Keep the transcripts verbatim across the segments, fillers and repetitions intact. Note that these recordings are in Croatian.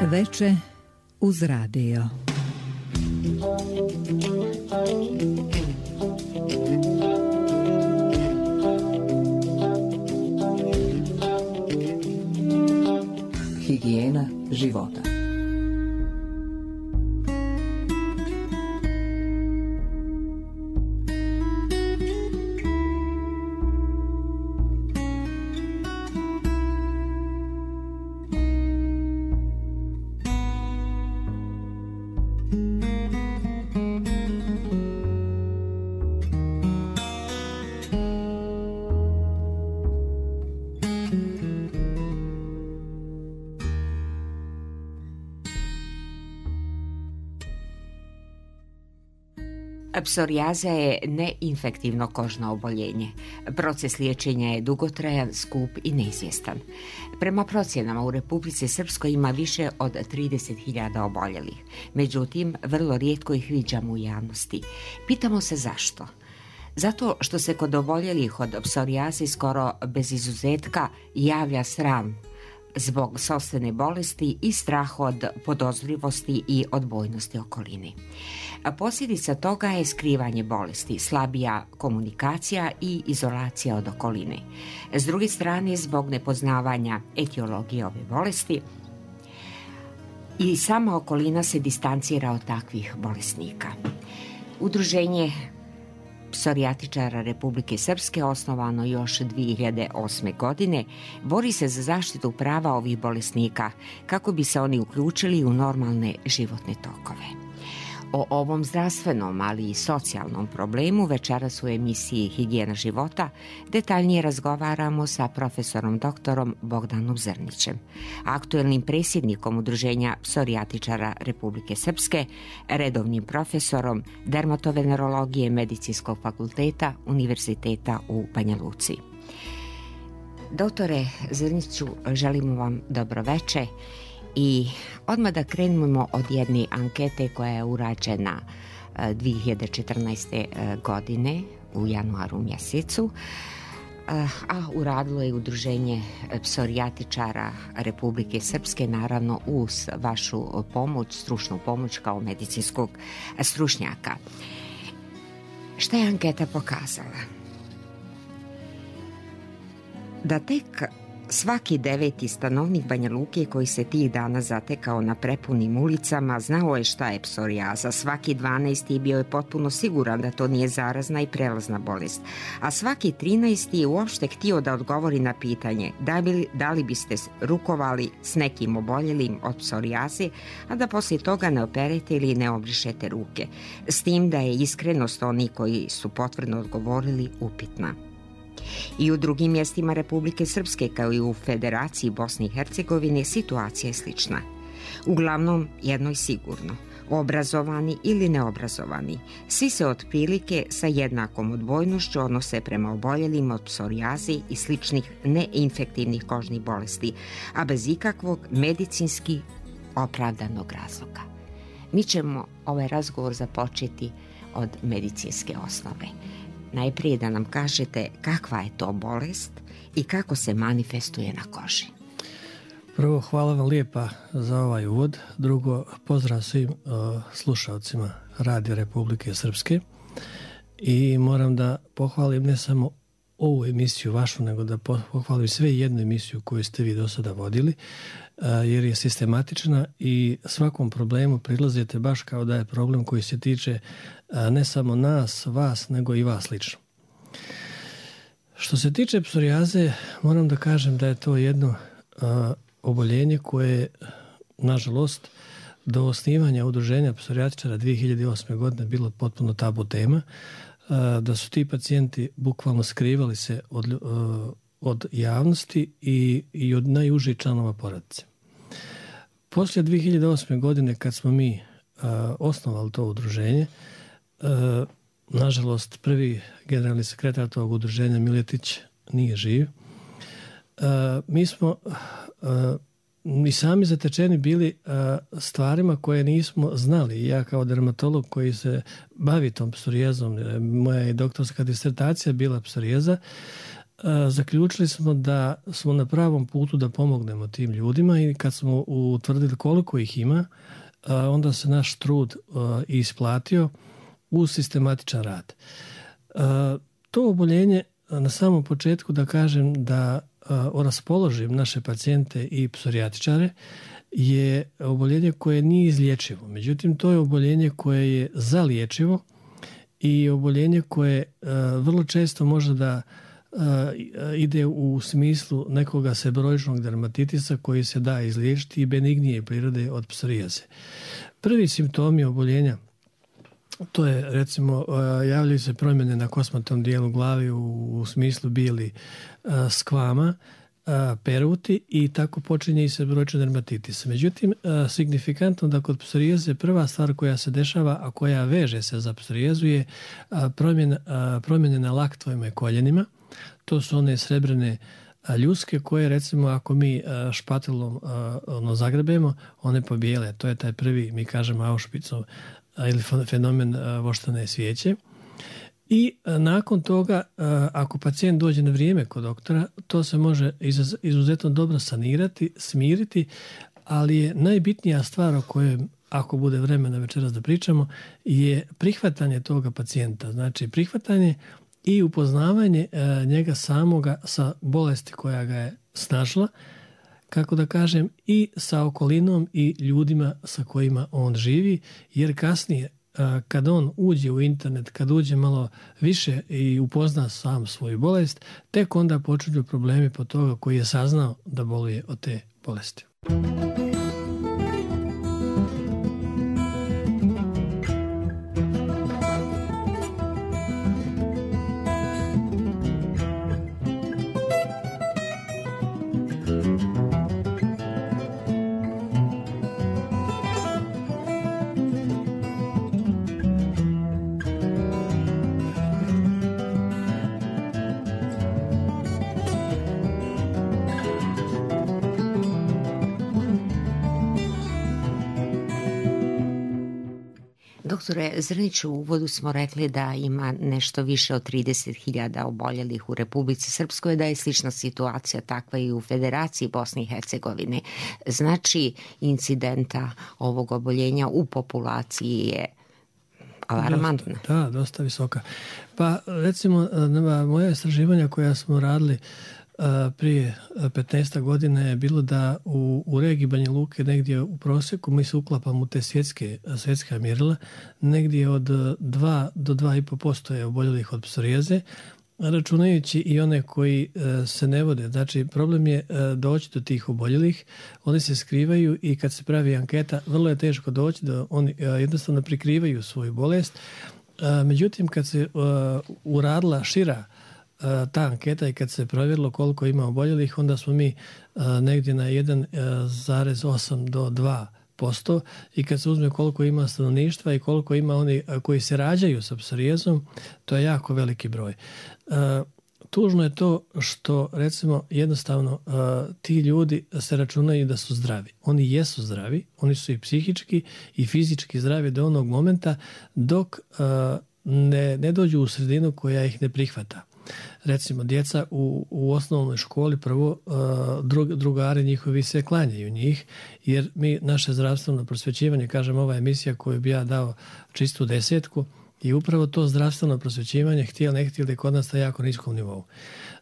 Veče uz radio. Higijena života. Psorijaza je neinfektivno kožno oboljenje. Proces liječenja je dugotrajan, skup i neizvjestan. Prema procjenama u Republici Srpskoj ima više od trideset hiljada oboljelih. Međutim, vrlo rijetko ih viđamo u javnosti. Pitamo se zašto? Zato što se kod oboljelih od psorijaze skoro bez izuzetka javlja sram zbog sopstvene bolesti i strah od podozrivosti i odbojnosti okoline. Posljedica toga je skrivanje bolesti, slabija komunikacija i izolacija od okoline. S druge strane, zbog nepoznavanja etiologije ove bolesti, i sama okolina se distancira od takvih bolesnika. Udruženje psorijatičara Republike Srpske, osnovano još dvije hiljade osme. godine, bori se za zaštitu prava ovih bolesnika kako bi se oni uključili u normalne životne tokove. O ovom zdravstvenom, ali i socijalnom problemu večeras u emisiji Higijena života detaljnije razgovaramo sa profesorom doktorom Bogdanom Zrnićem, aktuelnim predsjednikom Udruženja psorijatičara Republike Srpske, redovnim profesorom dermatovenerologije Medicinskog fakulteta Univerziteta u Banja Luci. Doktore Zrniću, želimo vam dobro veče. I odmah da krenemo od jedne ankete koja je urađena dvije hiljade četrnaeste. godine u januaru mjesecu, a uradilo je Udruženje psorijatičara Republike Srpske, naravno uz vašu pomoć, stručnu pomoć kao medicinskog stručnjaka. Šta je anketa pokazala? Da tek svaki deveti stanovnik Banja Luke koji se tih dana zatekao na prepunim ulicama znao je šta je psorijaza. Svaki dvanaesti bio je potpuno siguran da to nije zarazna i prelazna bolest. A svaki trinaesti je uopšte htio da odgovori na pitanje da, bi, da li biste rukovali s nekim oboljelim od psorijaze, a da poslije toga ne operete ili ne obrišete ruke. S tim da je iskrenost onih koji su potvrdno odgovorili upitna. I u drugim mjestima Republike Srpske, kao i u Federaciji Bosne i Hercegovine, situacija je slična. Uglavnom, jedno je sigurno, obrazovani ili neobrazovani, svi se otprilike sa jednakom odbojnošću odnose prema oboljelim od psorijaze i sličnih neinfektivnih kožnih bolesti, a bez ikakvog medicinski opravdanog razloga. Mi ćemo ovaj razgovor započeti od medicinske osnove. Najprije da nam kažete kakva je to bolest i kako se manifestuje na koži. Prvo, hvala vam lijepa za ovaj uvod. Drugo, pozdrav svim uh, slušalcima Radio Republike Srpske. I moram da pohvalim ne samo ovu emisiju vašu, nego da pohvalim sve jednu emisiju koju ste vi do sada vodili, uh, jer je sistematična i svakom problemu prilazite baš kao da je problem koji se tiče uh, ne samo nas, vas, nego i vas lično. Što se tiče psorijaze, moram da kažem da je to jedno uh, oboljenje koje, nažalost, do osnivanja Udruženja psorijatičara dvije hiljade osme. godine bilo potpuno tabu tema, da su ti pacijenti bukvalno skrivali se od, od javnosti i, i od najužih članova porodice. Poslije dvije hiljade osme. godine, kad smo mi osnovali to udruženje, nažalost, prvi generalni sekretar tog udruženja, Miletić, nije živ. Mi smo i sami zatečeni bili uh, stvarima koje nismo znali. Ja kao dermatolog koji se bavi tom psorijazom, moja je doktorska disertacija bila psorijaza, uh, zaključili smo da smo na pravom putu da pomognemo tim ljudima i kad smo utvrdili koliko ih ima, onda se naš trud isplatio uz sistematičan rad. To oboljenje, na samom početku da kažem da raspoložim naše pacijente i psorijatičare, je oboljenje koje nije izlječivo. Međutim, to je oboljenje koje je zaliječivo i oboljenje koje vrlo često može da ide u smislu nekoga seboroičnog dermatitisa koji se da izliječiti i benignije prirode od psorijaze. Prvi simptomi oboljenja, to je recimo javljaju se promjene na kosmatom dijelu glavi u, u smislu bijeli skvama, peruti i tako počinje i seboroični dermatitis. Međutim, signifikantno da kod psorijaze prva stvar koja se dešava, a koja veže se za psorijazu je promjena, promjene na laktovima i koljenima. To su one srebrne ljuske koje recimo ako mi špatelom ono, zagrebemo, one pobijele. To je taj prvi, mi kažemo Auschwitzov ili fenomen voštane svijeće. I nakon toga, ako pacijent dođe na vrijeme kod doktora, to se može izuzetno dobro sanirati, smiriti, ali je najbitnija stvar o kojoj, ako bude vremena večeras da pričamo, je prihvatanje toga pacijenta. Znači prihvatanje i upoznavanje njega samoga sa bolesti koja ga je snašla, kako da kažem, i sa okolinom i ljudima sa kojima on živi, jer kasnije kad on uđe u internet, kad uđe malo više i upozna sam svoju bolest, tek onda počinju problemi po toga koji je saznao da boluje od te bolesti. Doktore Zrniću, u uvodu smo rekli da ima nešto više od trideset hiljada oboljelih u Republici Srpskoj, da je slična situacija takva i u Federaciji Bosne i Hercegovine. Znači, incidenta ovog oboljenja u populaciji je alarmantna. Dosta, da, dosta visoka. Pa recimo, moja istraživanja koja smo radili prije petnaest godina je bilo da u, u regiji Banja Luke negdje u prosjeku mi se uklapamo u te svjetske, svjetska mjerila, negdje od dva do dva i po posto je oboljelih od psorijaze, računajući i one koji se ne vode. Znači, problem je doći do tih oboljelih, oni se skrivaju i kad se pravi anketa, vrlo je teško doći da oni jednostavno prikrivaju svoju bolest. Međutim, kad se uradila šira ta anketa i kad se provjerilo koliko ima oboljelih, onda smo mi negdje na jedan zarez osam do dva posto i kad se uzme koliko ima stanovništva i koliko ima oni koji se rađaju sa psorijazom, to je jako veliki broj. Tužno je to što, recimo, jednostavno ti ljudi se računaju da su zdravi. Oni jesu zdravi, oni su i psihički i fizički zdravi do onog momenta dok ne, ne dođu u sredinu koja ih ne prihvata. Recimo, djeca u, u osnovnoj školi prvo drug, drugari njihovi se klanjaju njih, jer mi naše zdravstveno prosvećivanje, kažem, ova emisija koju bi ja dao čistu desetku, i upravo to zdravstveno prosvećivanje, htjeli ne htjeli, kod nas na jako niskom nivou.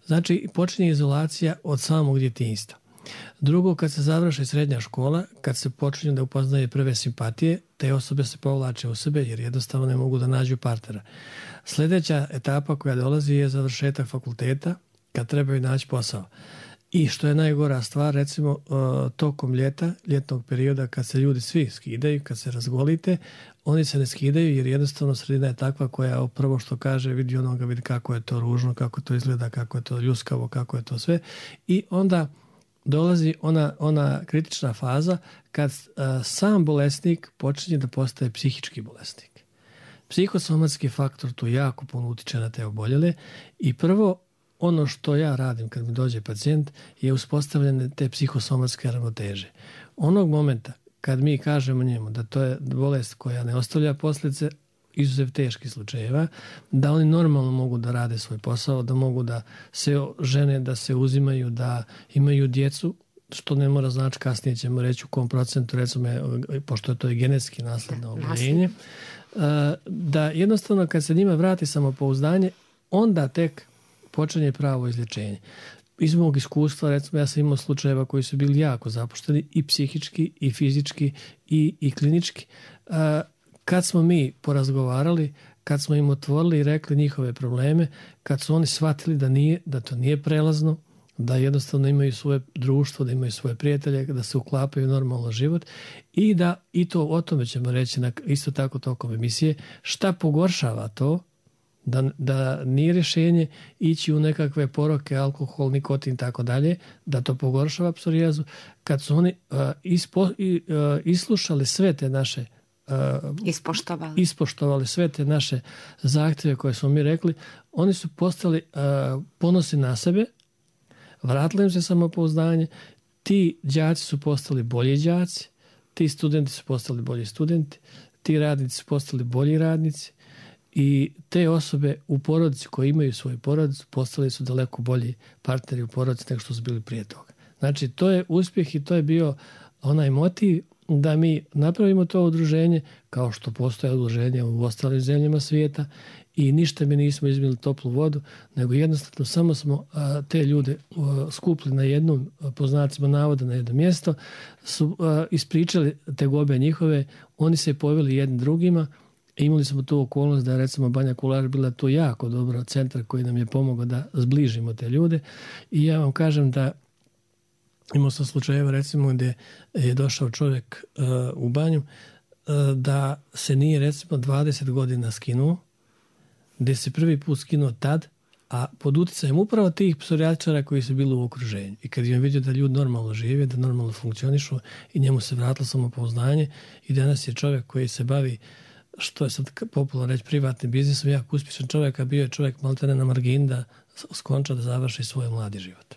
Znači, počinje izolacija od samog djetinjstva. Drugo, kad se završi srednja škola, kad se počinju da upoznaje prve simpatije, te osobe se povlače u sebe jer jednostavno ne mogu da nađu partnera. Sljedeća etapa koja dolazi je završetak fakulteta, kad trebaju naći posao. I što je najgora stvar, recimo tokom ljeta, ljetnog perioda, kad se ljudi svi skidaju, kad se razgolite, oni se ne skidaju jer jednostavno sredina je takva koja prvo što kaže vidi onoga, vidi kako je to ružno, kako to izgleda, kako je to ljuskavo, kako je to sve. I onda dolazi ona, ona kritična faza kad a, sam bolesnik počinje da postaje psihički bolesnik. Psihosomatski faktor tu jako puno utiče na te oboljele i prvo ono što ja radim kad mi dođe pacijent je uspostavljanje te psihosomatske ravnoteže. Onog momenta kad mi kažemo njemu da to je bolest koja ne ostavlja posljedice, izuzev teških slučajeva, da oni normalno mogu da rade svoj posao, da mogu da se žene, da se uzimaju, da imaju djecu, što ne mora znači, kasnije ćemo reći u kom procentu, recimo, pošto je to i genetski nasledno oboljenje, da jednostavno kad se njima vrati samopouzdanje, onda tek počinje pravo izlječenje. Iz mog iskustva, recimo, ja sam imao slučajeva koji su bili jako zapušteni i psihički, i fizički, i, i klinički. Kad smo mi porazgovarali, kad smo im otvorili i rekli njihove probleme, kad su oni shvatili da, nije, da to nije prelazno, da jednostavno imaju svoje društvo, da imaju svoje prijatelje, da se uklapaju u normalno život i da, i to o tome ćemo reći na, isto tako tokom emisije, šta pogoršava to, da, da nije rješenje ići u nekakve poroke, alkohol, nikotin i tako dalje, da to pogoršava psorijazu, kad su oni uh, ispo, uh, islušali sve te naše uh, ispoštovali. ispoštovali sve te naše zahtjeve koje smo mi rekli, oni su postali uh, ponosni na sebe, vratili im se samopouzdanje, ti đaci su postali bolji đaci, ti studenti su postali bolji studenti, ti radnici su postali bolji radnici i te osobe u porodici koje imaju svoju porodicu postali su daleko bolji partneri u porodici nego što su bili prije toga. Znači, to je uspjeh i to je bio onaj motiv da mi napravimo to udruženje kao što postoje udruženje u ostalim zemljama svijeta i ništa mi nismo izmili toplu vodu, nego jednostavno samo smo a, te ljude a, skupili na jednom, po znacima navoda, na jedno mjesto, su a, ispričali tegobe njihove, oni se poveli jednim drugima. Imali smo tu okolnost da recimo Banja Kulaš bila tu jako dobro centar koji nam je pomogao da zbližimo te ljude i ja vam kažem da imao sam slučajeva recimo gdje je došao čovjek uh, u banju uh, da se nije recimo dvadeset godina skinuo, gdje se prvi put skinuo tad, a pod utjecajem upravo tih psorijatičara koji su bili u okruženju. I kad je vidio da ljudi normalno žive, da normalno funkcionišu i njemu se vratilo samopouzdanje i danas je čovjek koji se bavi, što je sad popularno reći, privatnim biznisom, jako uspješan čovjek, a bio je čovjek maltene na margini da skonča da završi svoj mladi život.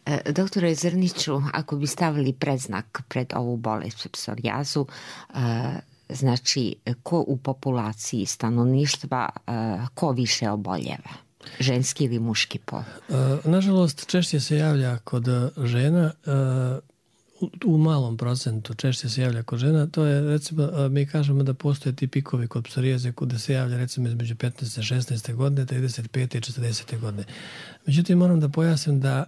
E, doktore Zrniću, ako bi stavili predznak pred ovu bolest psorijazu, e, znači ko u populaciji stanovništva, e, ko više oboljeva? Ženski ili muški pol? E, nažalost, češće se javlja kod žena, e, u malom procentu češće se javlja kod žena, to je recimo, mi kažemo da postoje ti pikovi kod psorijaze gdje se javlja recimo između petnaeste i šesnaeste godine, trideset pete i četrdesete godine. Međutim, moram da pojasnim da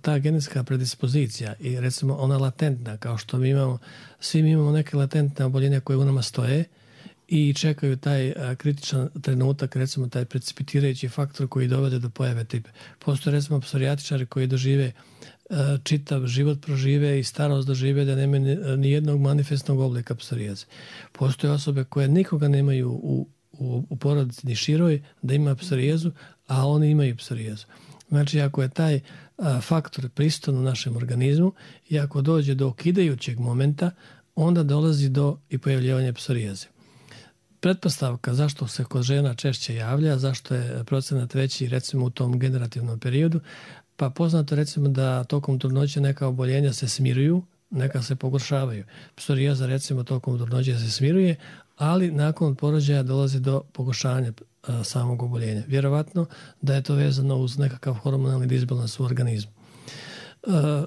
ta genetska predispozicija i recimo ona latentna, kao što mi imamo, svi mi imamo neke latentne oboljenja koje u nama stoje i čekaju taj kritičan trenutak, recimo taj precipitirajući faktor koji dovode do pojave tipe. Postoje recimo psorijatičari koji dožive čitav život prožive i starost dožive da nema ni jednog manifestnog oblika psorijaze. Postoje osobe koje nikoga nemaju u, u, u porodici ni široj da ima psorijazu, a oni imaju psorijazu. Znači, ako je taj a, faktor prisutan u našem organizmu i ako dođe do okidajućeg momenta, onda dolazi do i pojavljivanja psorijaze. Pretpostavka zašto se kod žena češće javlja, zašto je procenat veći recimo u tom generativnom periodu, pa poznato recimo da tokom trudnoće neka oboljenja se smiruju, neka se pogoršavaju. Psorijaza recimo tokom trudnoće se smiruje, ali nakon porođaja dolazi do pogoršanja a, samog oboljenja. Vjerovatno da je to vezano uz nekakav hormonalni disbalans u organizmu. A,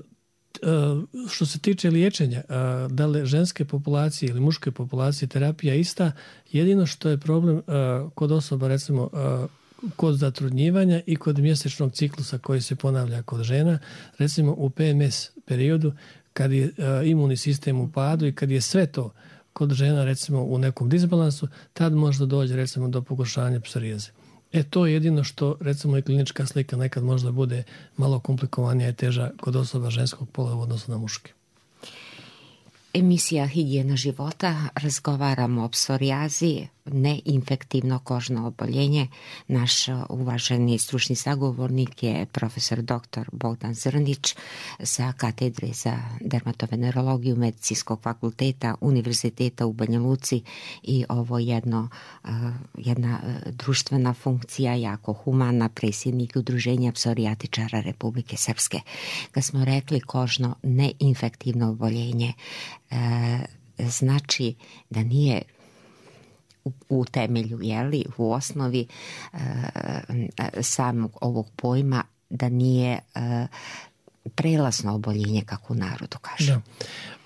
a, što se tiče liječenja, a, da li ženske populacije ili muške populacije terapija ista, jedino što je problem a, kod osoba recimo a, kod zatrudnjivanja i kod mjesečnog ciklusa koji se ponavlja kod žena, recimo u P M S periodu kad je uh, imunni sistem u padu i kad je sve to kod žena recimo u nekom disbalansu, tad možda dođe recimo do pogoršanja psorijaze. E to je jedino što recimo i klinička slika nekad možda bude malo komplikovanija i teža kod osoba ženskog pola u odnosu na muške. Emisija Higijena života, razgovaramo o psorijazi, neinfektivno kožno oboljenje. Naš uvaženi stručni sagovornik je profesor doktor Bogdan Zrnić sa katedre za dermatovenerologiju Medicinskog fakulteta Univerziteta u Banja Luci i ovo jedno, jedna društvena funkcija, jako humana, predsjednik Udruženja psorijatičara Republike Srpske. Kad smo rekli kožno neinfektivno oboljenje, znači da nije u, u temelju, jeli, u osnovi e, samog ovog pojma da nije e, prelazno oboljenje, kako u narodu kaže. Da.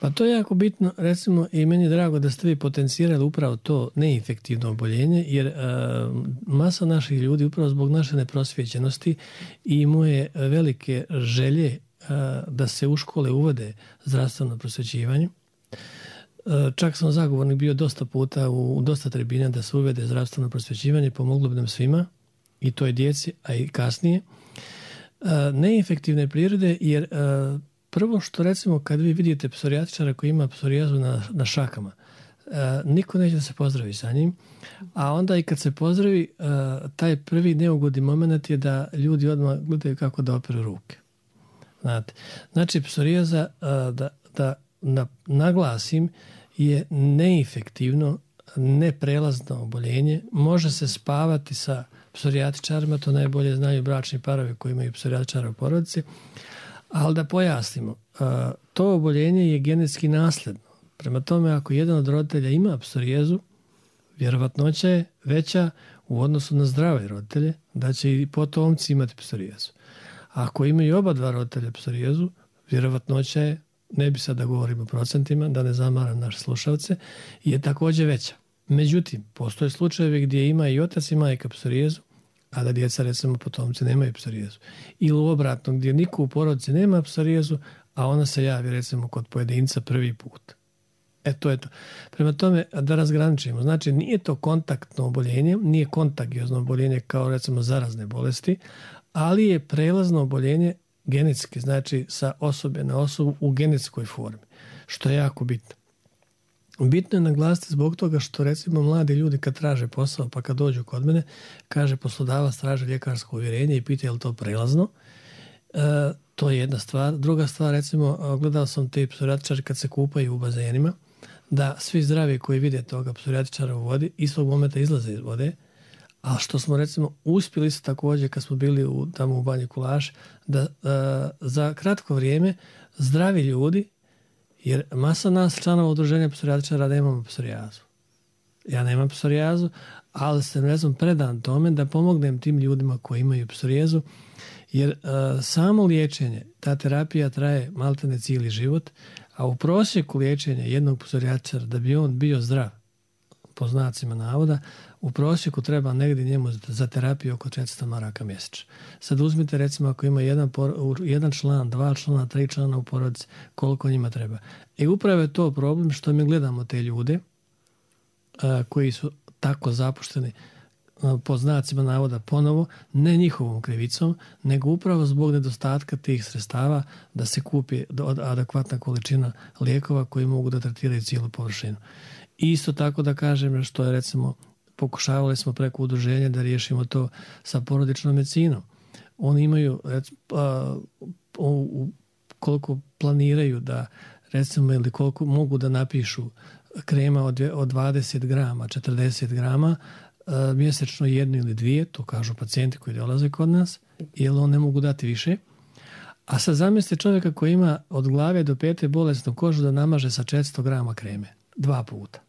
Pa to je jako bitno, recimo, i meni je drago da ste vi potencirali upravo to neinfektivno oboljenje, jer e, masa naših ljudi upravo zbog naše neprosvjećenosti i moje velike želje e, da se u škole uvode zdravstveno prosvjećivanje. E, čak sam zagovornik bio dosta puta u, u dosta tribina da se uvede zdravstveno prosvjećivanje, pomoglo bi nam svima, i toj djeci, a i kasnije. E, neinfektivne prirode, jer e, prvo što, recimo, kad vi vidite psorijatičara koji ima psorijazu na, na šakama, e, niko neće da se pozdravi sa njim, a onda i kad se pozdravi, e, taj prvi neugodni moment je da ljudi odmah gledaju kako da operu ruke. Znate, znači, psorijaza, e, da, da na, naglasim, je neinfektivno, neprelazno oboljenje, može se spavati sa psorijatičarima, to najbolje znaju bračni parovi koji imaju psorijatičara u porodici, ali da pojasnimo, to oboljenje je genetski nasljedno. Prema tome, ako jedan od roditelja ima psorijezu, vjerovatnoća je veća u odnosu na zdrave roditelje da će i potomci imati psorijezu. A ako imaju oba dva roditelja psorijezu, vjerovatnoća je, ne bi sad da govorimo o procentima, da ne zamaram naše slušalce, je također veća. Međutim, postoje slučajevi gdje ima i otac i majka psorijezu, a da djeca, recimo, potomci nemaju psorijezu. Ili obratno, gdje niko u porodici nema psorijezu, a ona se javi, recimo, kod pojedinca prvi put. E, to je to. Prema tome, da razgraničimo. Znači, nije to kontaktno oboljenje, nije kontagiozno oboljenje kao, recimo, zarazne bolesti, ali je prelazno oboljenje genetski, znači sa osobe na osobu u genetskoj formi, što je jako bitno. Bitno je naglasiti zbog toga što, recimo, mladi ljudi kad traže posao, pa kad dođu kod mene, kaže poslodavac traži ljekarsko uvjerenje i pita je li to prelazno. E, to je jedna stvar. Druga stvar, recimo, gledao sam te psorijatičare kad se kupaju u bazenima, da svi zdravi koji vide toga psorijatičara u vodi istog momenta izlaze iz vode, a što smo, recimo, uspjeli su također kad smo bili u, tamo u Banji Kulaš, da a, za kratko vrijeme zdravi ljudi, jer masa nas članova udruženja psorijatičara nemamo psorijazu. Ja nemam psorijazu, ali sam, ne znam, predan tome da pomognem tim ljudima koji imaju psorijazu, jer a, samo liječenje, ta terapija traje maltene cijeli život, a u prosjeku liječenja jednog psorijatičara, da bi on bio zdrav, po znacima navoda, u prosjeku treba negdje njemu za terapiju oko četiristo maraka mjesečno. Sad uzmite, recimo, ako ima jedan, jedan član, dva člana, tri člana u porodici, koliko njima treba. I upravo je to problem što mi gledamo te ljude a, koji su tako zapušteni, a, po znacima navoda ponovo, ne njihovom krivicom, nego upravo zbog nedostatka tih sredstava da se kupi adekvatna količina lijekova koji mogu da tretiraju cijelu površinu. I isto tako da kažem što je, recimo, pokušavali smo preko udruženja da riješimo to sa porodičnom medicinom. Oni imaju, recimo, a, u, koliko planiraju da, recimo, ili koliko mogu da napišu krema od, od dvadeset grama, četrdeset grama, a, mjesečno jednu ili dvije, to kažu pacijenti koji dolaze kod nas, jer on ne mogu dati više. A sad zamislite čovjeka koji ima od glave do pete bolesnu kožu da namaže sa četiristo grama kreme, dva puta.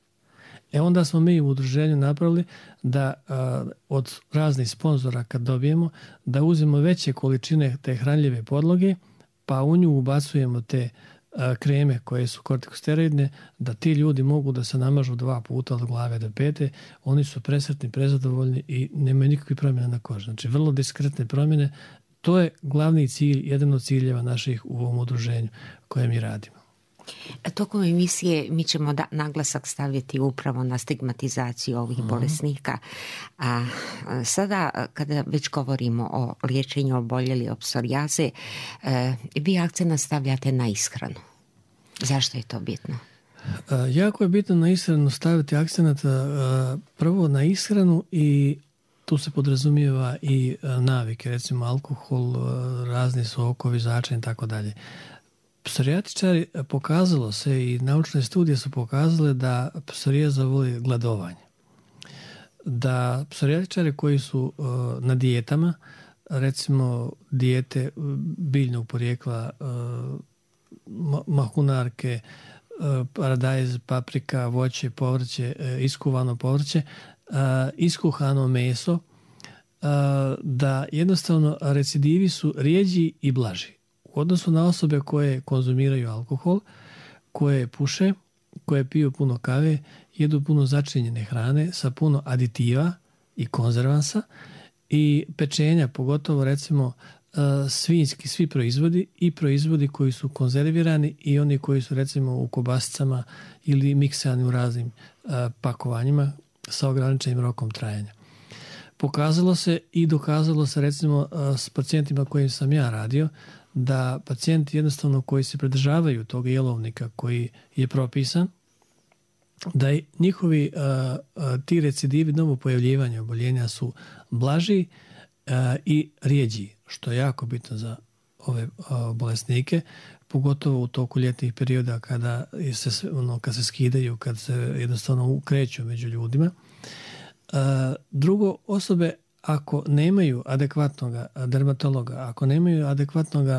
E onda smo mi u udruženju napravili da a, od raznih sponzora kad dobijemo, da uzmemo veće količine te hranljive podloge, pa u nju ubacujemo te a, kreme koje su kortikosteroidne, da ti ljudi mogu da se namažu dva puta od glave do pete. Oni su presretni, prezadovoljni i nemaju nikakvih promjena na koži. Znači, vrlo diskretne promjene. To je glavni cilj, jedan od ciljeva naših u ovom udruženju koje mi radimo. Tokom emisije mi ćemo da, naglasak staviti upravo na stigmatizaciju ovih mm. bolesnika. A sada, kada već govorimo o liječenju oboljeli od psorijaze, e, vi akcent stavljate na ishranu. Zašto je to bitno? A, jako je bitno na ishranu staviti akcent a, prvo na ishranu i tu se podrazumijeva i a, navike, recimo alkohol, a, razni sokovi, začin i tako dalje. Psorijatičari, pokazalo se i naučne studije su pokazale da psorijaza voli gladovanje. Da psorijatičari koji su uh, na dijetama, recimo dijete biljnog porijekla, uh, mahunarke, paradajz, paprika, voće, povrće, iskuvano povrće, iskuhano meso, da jednostavno recidivi su rijeđi i blaži. U odnosu na osobe koje konzumiraju alkohol, koje puše, koje piju puno kave, jedu puno začinjene hrane sa puno aditiva i konzervansa i pečenja, pogotovo recimo svinjski svi proizvodi i proizvodi koji su konzervirani i oni koji su recimo u kobasicama ili miksani u raznim pakovanjima sa ograničenim rokom trajanja. Pokazalo se i dokazalo se recimo s pacijentima kojim sam ja radio da pacijenti jednostavno koji se pridržavaju tog jelovnika koji je propisan, da i njihovi a, a, ti recidivi novo pojavljivanja oboljenja su blaži a, i rijeđi, što je jako bitno za ove a, bolesnike, pogotovo u toku ljetnih perioda kada se, ono, kad se skidaju, kad se jednostavno kreću među ljudima. A, drugo, osobe ako nemaju adekvatnog dermatologa, ako nemaju adekvatnog uh,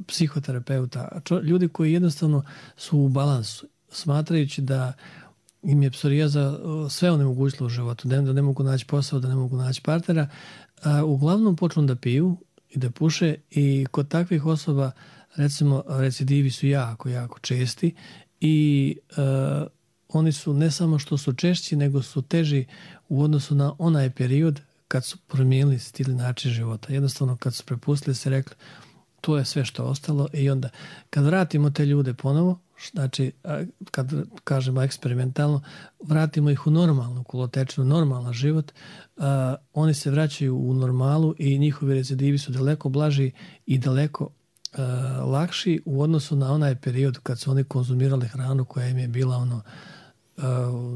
psihoterapeuta, čo, ljudi koji jednostavno su u balansu, smatrajući da im je psorijaza sve onemogućilo u životu, da ne mogu naći posao, da ne mogu naći partnera, uh, uglavnom počnu da piju i da puše i kod takvih osoba recimo recidivi su jako, jako česti i uh, oni su ne samo što su češći, nego su teži u odnosu na onaj period kad su promijenili stil način života. Jednostavno kad su prepustili se rekli to je sve što ostalo i onda kad vratimo te ljude ponovo, znači kad kažemo eksperimentalno, vratimo ih u normalnu kolotečinu, normalan život, uh, oni se vraćaju u normalu i njihovi recidivi su daleko blaži i daleko uh, lakši u odnosu na onaj period kad su oni konzumirali hranu koja im je bila ono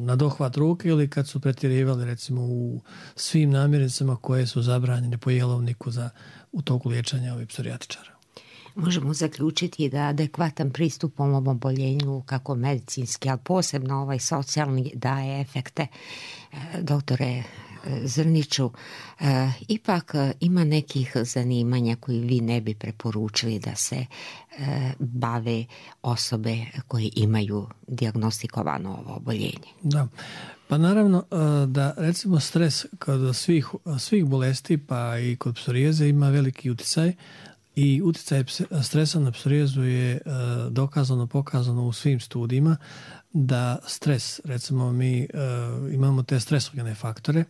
na dohvat ruke ili kad su pretjerivali recimo u svim namirnicama koje su zabranjene po jelovniku za, u toku liječenja ovih psorijatičara. Možemo zaključiti da adekvatan pristup ovom oboljenju, kako medicinski, ali posebno ovaj socijalni, daje efekte. Doktore Zrniću, ipak ima nekih zanimanja koji vi ne bi preporučili da se bave osobe koje imaju dijagnostikovano ovo oboljenje. Da, pa naravno da recimo stres kod svih, svih bolesti pa i kod psorijeze ima veliki utjecaj i utjecaj stresa na psorijezu je dokazano, pokazano u svim studijima da stres, recimo mi imamo te stresogene faktore,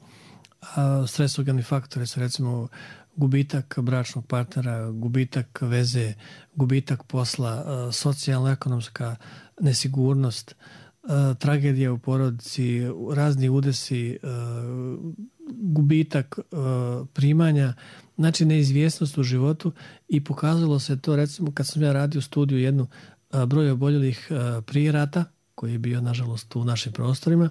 a stresogeni faktori su recimo gubitak bračnog partnera, gubitak veze, gubitak posla, socijalno-ekonomska nesigurnost, tragedija u porodici, razni udesi, gubitak primanja, znači neizvjesnost u životu i pokazalo se to recimo kad sam ja radio studiju jednu broj oboljelih prije rata, koji je bio nažalost u našim prostorima,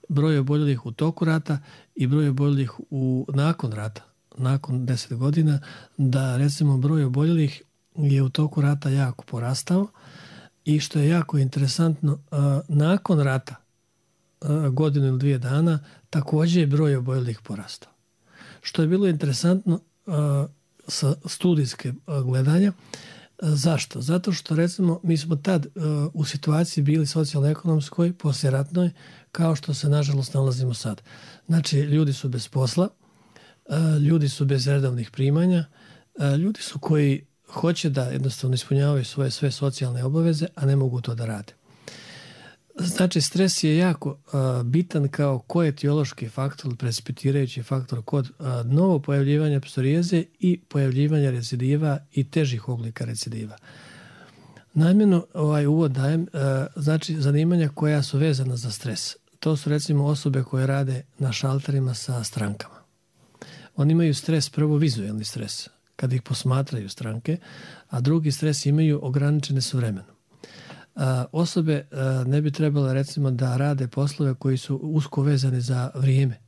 broj oboljelih u toku rata i broj oboljelih u, nakon rata, nakon deset godina, da recimo broj oboljelih je u toku rata jako porastao i što je jako interesantno, nakon rata, godinu ili dvije dana, također je broj oboljelih porastao. Što je bilo interesantno sa studijske gledanja. Zašto? Zato što recimo mi smo tad uh, u situaciji bili socijalno-ekonomskoj, poslijeratnoj, kao što se nažalost nalazimo sad. Znači ljudi su bez posla, uh, ljudi su bez redovnih primanja, uh, ljudi su koji hoće da jednostavno ispunjavaju svoje sve socijalne obaveze, a ne mogu to da rade. Znači stres je jako uh, bitan kao koetiološki faktor, precipitirajući faktor kod uh, novo pojavljivanja psorijeze i pojavljivanja recidiva i težih oblika recidiva. Namjerno ovaj uvod dajem, uh, znači zanimanja koja su vezana za stres. To su recimo osobe koje rade na šalterima sa strankama. Oni imaju stres, prvo vizualni stres, kad ih posmatraju stranke, a drugi stres imaju ograničene su vremenom. Uh, osobe uh, ne bi trebale recimo da rade poslove koji su usko vezani za vrijeme.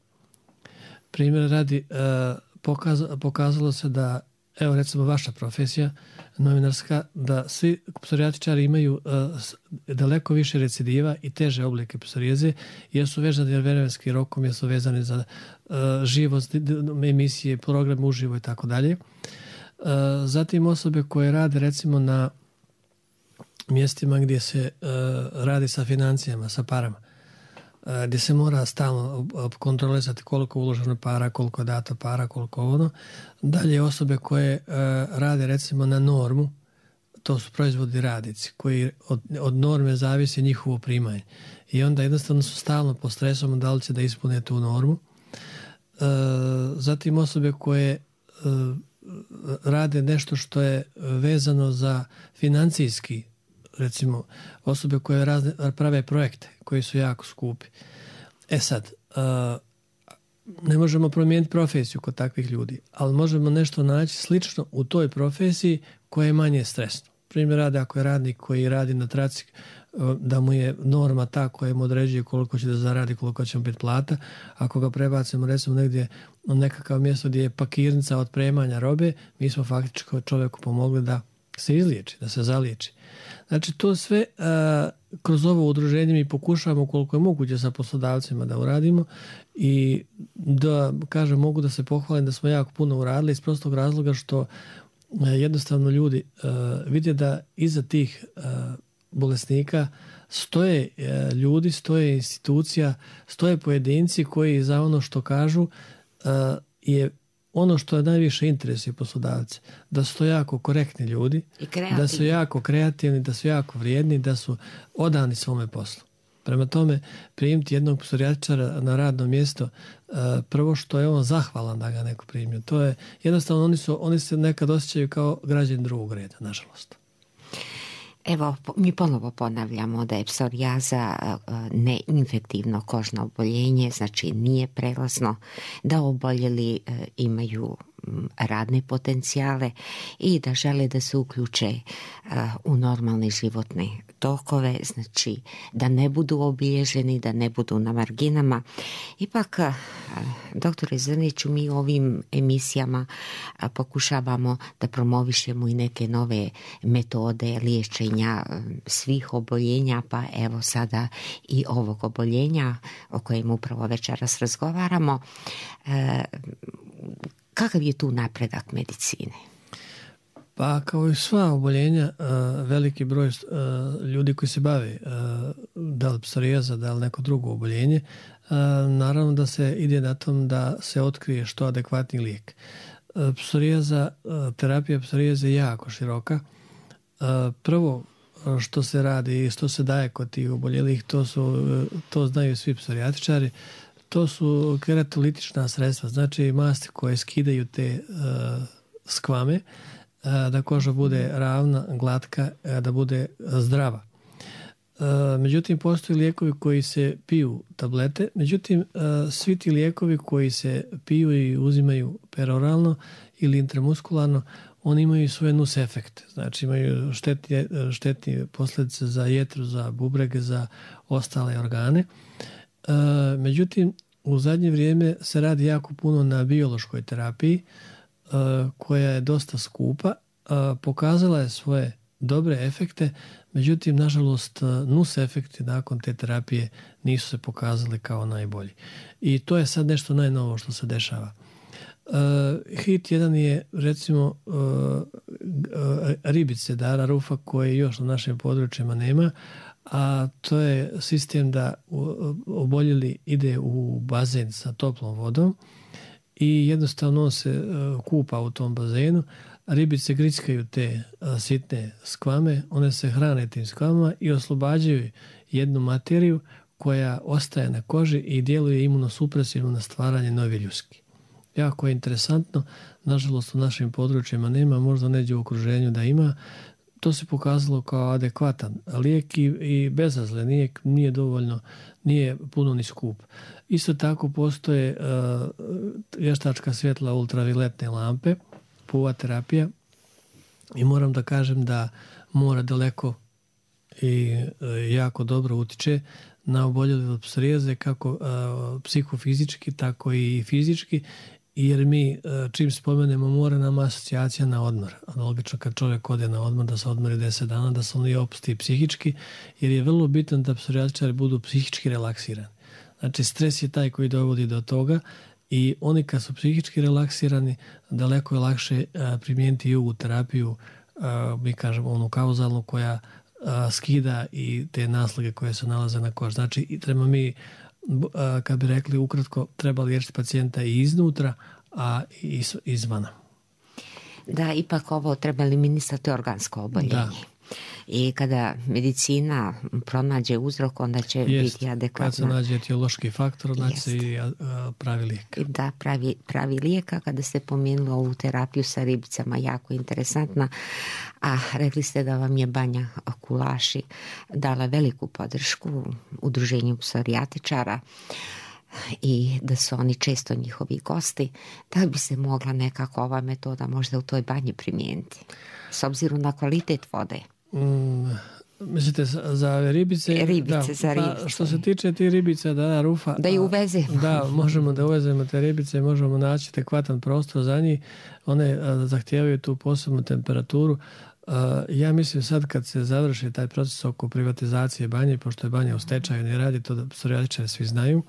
Primjer radi, uh, pokaz, pokazalo se da, evo recimo vaša profesija novinarska, da svi psorijatičari imaju uh, daleko više recidiva i teže oblike psorijeze, jer su vezani vremenskim rokom, jer su vezani za uh, živost, emisije, program uživo i tako dalje. Zatim osobe koje rade recimo na mjestima gdje se uh, radi sa financijama, sa parama, uh, gdje se mora stalno kontrolisati koliko je uloženo para, koliko je dato para, koliko ono. Dalje osobe koje uh, rade recimo na normu, to su proizvodi radnici koji od, od norme zavisi njihovo primanje. I onda jednostavno su stalno pod stresom da li će da ispune tu normu. Uh, zatim osobe koje uh, rade nešto što je vezano za financijski, recimo osobe koje razne, prave projekte koji su jako skupi. E sad, ne možemo promijeniti profesiju kod takvih ljudi, ali možemo nešto naći slično u toj profesiji koja je manje stresno. Primjer radi, ako je radnik koji radi na traci, da mu je norma ta koja mu određuje koliko će da zaradi, koliko će mu biti plata. Ako ga prebacimo recimo negdje na nekakav mjesto gdje je pakirnica otpremanja robe, mi smo faktički čovjeku pomogli da se izliječi, da se zaliječi. Znači to sve a, kroz ovo udruženje mi pokušavamo koliko je moguće sa poslodavcima da uradimo i da, kažem, mogu da se pohvalim da smo jako puno uradili iz prostog razloga što a, jednostavno ljudi a, vide da iza tih a, bolesnika stoje a, ljudi, stoje institucija, stoje pojedinci koji za ono što kažu a, je ono što je najviše interesuje poslodavce, da su to jako korektni ljudi, da su jako kreativni, da su jako vrijedni, da su odani svome poslu. Prema tome, primiti jednog psorijatičara na radno mjesto, prvo što je on zahvalan da ga neko primio. To je jednostavno, oni, su, oni se nekad osjećaju kao građani drugog reda, nažalost. Evo, mi ponovo ponavljamo da je psorijaza neinfektivno kožno oboljenje, znači nije prelazno, da oboljeli imaju radne potencijale i da žele da se uključe u normalne životne tokove, znači da ne budu obilježeni, da ne budu na marginama. Ipak, doktore Zrniću, mi ovim emisijama pokušavamo da promovišemo i neke nove metode liječenja svih oboljenja, pa evo sada i ovog oboljenja o kojem upravo večeras razgovaramo. Kakav je tu napredak medicine? Pa kao i sva oboljenja, veliki broj ljudi koji se bave da li psorijaza, da li neko drugo oboljenje, naravno da se ide na tom da se otkrije što adekvatni lijek. Psorijaza, terapija psorijaza je jako široka. Prvo što se radi i što se daje kod tih oboljelih, to, su, to znaju svi psorijatičari, to su keratolitična sredstva, znači masti koje skidaju te uh, skvame, uh, da koža bude ravna, glatka, uh, da bude zdrava. Uh, međutim, postoje lijekovi koji se piju tablete, međutim, uh, svi ti lijekovi koji se piju i uzimaju peroralno ili intramuskularno, oni imaju svoje nus efekte, znači imaju štetne, štetne posljedice za jetru, za bubrege, za ostale organe. Uh, međutim, u zadnje vrijeme se radi jako puno na biološkoj terapiji uh, koja je dosta skupa, uh, pokazala je svoje dobre efekte, međutim, nažalost, nus efekti nakon te terapije nisu se pokazali kao najbolji. I to je sad nešto najnovo što se dešava. Uh, hit jedan je, recimo, uh, uh, ribice Dara Rufa koje još na našim područjima nema, a to je sistem da oboljeli ide u bazen sa toplom vodom i jednostavno on se kupa u tom bazenu, ribice grickaju te sitne skvame, one se hrane tim skvamama i oslobađaju jednu materiju koja ostaje na koži i djeluje imunosupresivno na stvaranje nove ljuski. Jako je interesantno, nažalost u našim područjima nema, možda neđe u okruženju da ima. To se pokazalo kao adekvatan lijek i, i bezazlen, nije, nije dovoljno, nije puno ni skup. Isto tako postoje uh, vještačka svjetla ultravioletne lampe, P U A terapija, i moram da kažem da mora daleko i uh, jako dobro utiče na oboljele od psorijaze, kako uh, psihofizički, tako i fizički, jer mi čim spomenemo mora nam asocijacija na odmor. Logično kad čovjek ode na odmor da se odmori deset dana, da se on i opusti psihički, jer je vrlo bitno da psorijatičari budu psihički relaksirani. Znači stres je taj koji dovodi do toga i oni kad su psihički relaksirani daleko je lakše primijeniti jugu terapiju, mi kažemo onu kauzalnu koja skida i te naslage koje se nalaze na koži. Znači, i treba mi, kad bi rekli ukratko, treba liječiti pacijenta i iznutra, a i izvana. Da, ipak ovo treba eliminisati organsko oboljenje. Da. I kada medicina pronađe uzrok, onda će Jest, biti adekvatna. Kad se nađe etiološki faktor, znači se i pravi lijek. Da, pravi, pravi lijek. A kada ste pomenuli ovu terapiju sa ribicama, jako interesantna, a rekli ste da vam je Banja Kulaši dala veliku podršku udruženju psorijatičara i da su oni često njihovi gosti, da bi se mogla nekako ova metoda možda u toj banji primijeniti, s obzirom na kvalitet vode. Mm, mislite za ribice? Ribice, da, za ribice. Pa, što se tiče ti ribice, da, Rufa... Da ju uvezemo. Da, možemo da uvezemo te ribice, možemo naći adekvatan prostor za njih. One a, zahtijevaju tu posebnu temperaturu. A, ja mislim sad kad se završi taj proces oko privatizacije banje, pošto je banja u stečaju, ne radi to da psorijatičari svi znaju,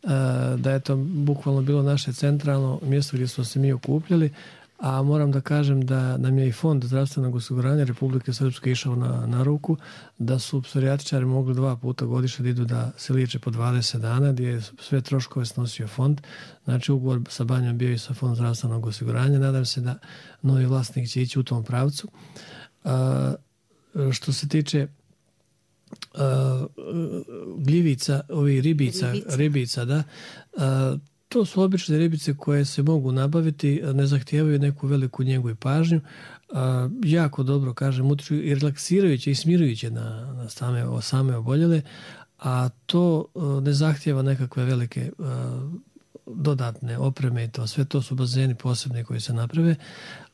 a, da je to bukvalno bilo naše centralno mjesto gdje smo se mi okupljali, a moram da kažem da nam je i Fond zdravstvenog osiguranja Republike Srpske išao na, na ruku, da su psorijatičari mogli dva puta godišnje da idu da se liječe po dvadeset dana, gdje je sve troškove snosio fond. Znači ugovor sa banjom bio i sa Fond zdravstvenog osiguranja. Nadam se da novi vlasnik će ići u tom pravcu. A, što se tiče a, gljivica, ovih ribica, ribica, ribica da, a, to su obične ribice koje se mogu nabaviti, ne zahtijevaju neku veliku njegu i pažnju. A, jako dobro, kažem, utiču i relaksirajuće i smirujuće na, na same, same oboljele, a to a, ne zahtijeva nekakve velike a, dodatne opreme i to. Sve to su bazeni posebni koji se naprave.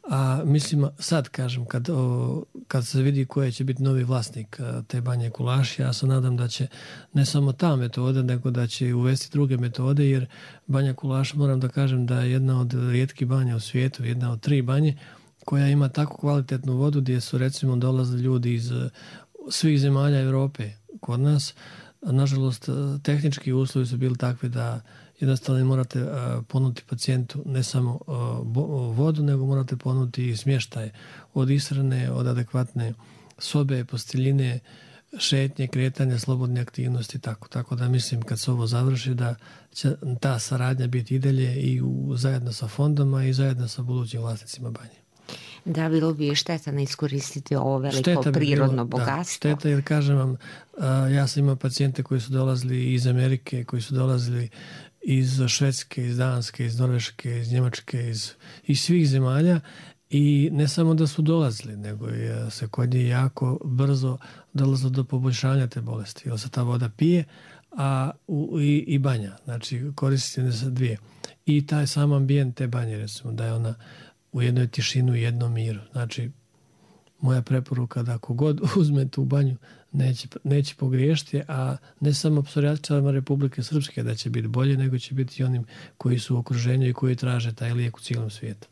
A mislim, sad kažem, kad, o, kad se vidi koji će biti novi vlasnik te Banje Kulaši, ja se nadam da će ne samo ta metoda, nego da će uvesti druge metode, jer Banja Kulaš, moram da kažem da je jedna od rijetkih banja u svijetu, jedna od tri banje, koja ima tako kvalitetnu vodu gdje su recimo dolazili ljudi iz svih zemalja Europe kod nas. Nažalost, tehnički uslovi su bili takvi da jednostavno morate uh, ponuditi pacijentu ne samo uh, bo, vodu, nego morate ponuditi i smještaj od ishrane, od adekvatne sobe, posteljine, šetnje, kretanje, slobodne aktivnosti, tako. Tako da mislim kad se ovo završi da će ta saradnja biti i dalje i u, zajedno sa fondoma i zajedno sa budućim vlasnicima banje. Da, bilo bi šteta ne iskoristiti ovo veliko prirodno bilo, bogatstvo. Da, šteta, jer kažem vam, uh, ja sam imao pacijente koji su dolazili iz Amerike, koji su dolazili iz Švedske, iz Danske, iz Norveške, iz Njemačke, iz, iz svih zemalja i ne samo da su dolazili, nego je se kod njih jako brzo dolazilo do poboljšanja te bolesti, jer se ta voda pije, a u, i, i banja, znači koristite se dvije. I taj sam ambijent te banje, recimo, da je ona u jednoj tišinu i jednom miru. Znači, moja preporuka da ako god uzme tu banju, neće, neće pogriješiti, a ne samo psorijatičarima Republike Srpske da će biti bolje, nego će biti i onim koji su u okruženju i koji traže taj lijek u cijelom svijetu.